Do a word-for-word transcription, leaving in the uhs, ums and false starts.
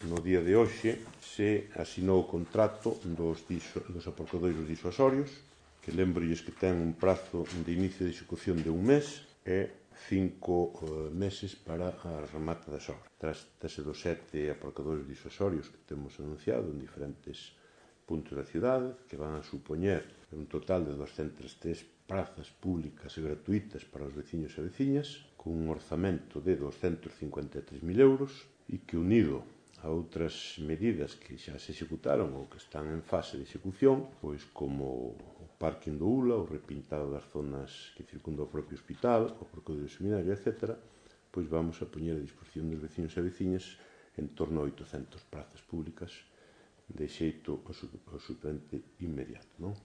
No día de hoxe se asinou o contrato dos, diso, dos aparcadoiros disuasorios, que lembrolles que ten un prazo de inicio de execución de un mes e cinco uh, meses para a remate das obras. Trátase dos sete aparcadoiros disuasorios que temos anunciado en diferentes puntos da cidade, que van a supoñer un total de doscientas tres prazas públicas e gratuitas para os veciños e veciñas, con un orzamento de doscientos cincuenta e tres mil euros, e que unido a outras medidas que xa se executaron ou que están en fase de execución, pois como o parking do U L A, o repintado das zonas que circundan o propio hospital, o parque do seminario, etcétera, pois vamos a poñer a disposición dos veciños e veciñas en torno a oitocentas prazas públicas de xeito absolutamente inmediato, non?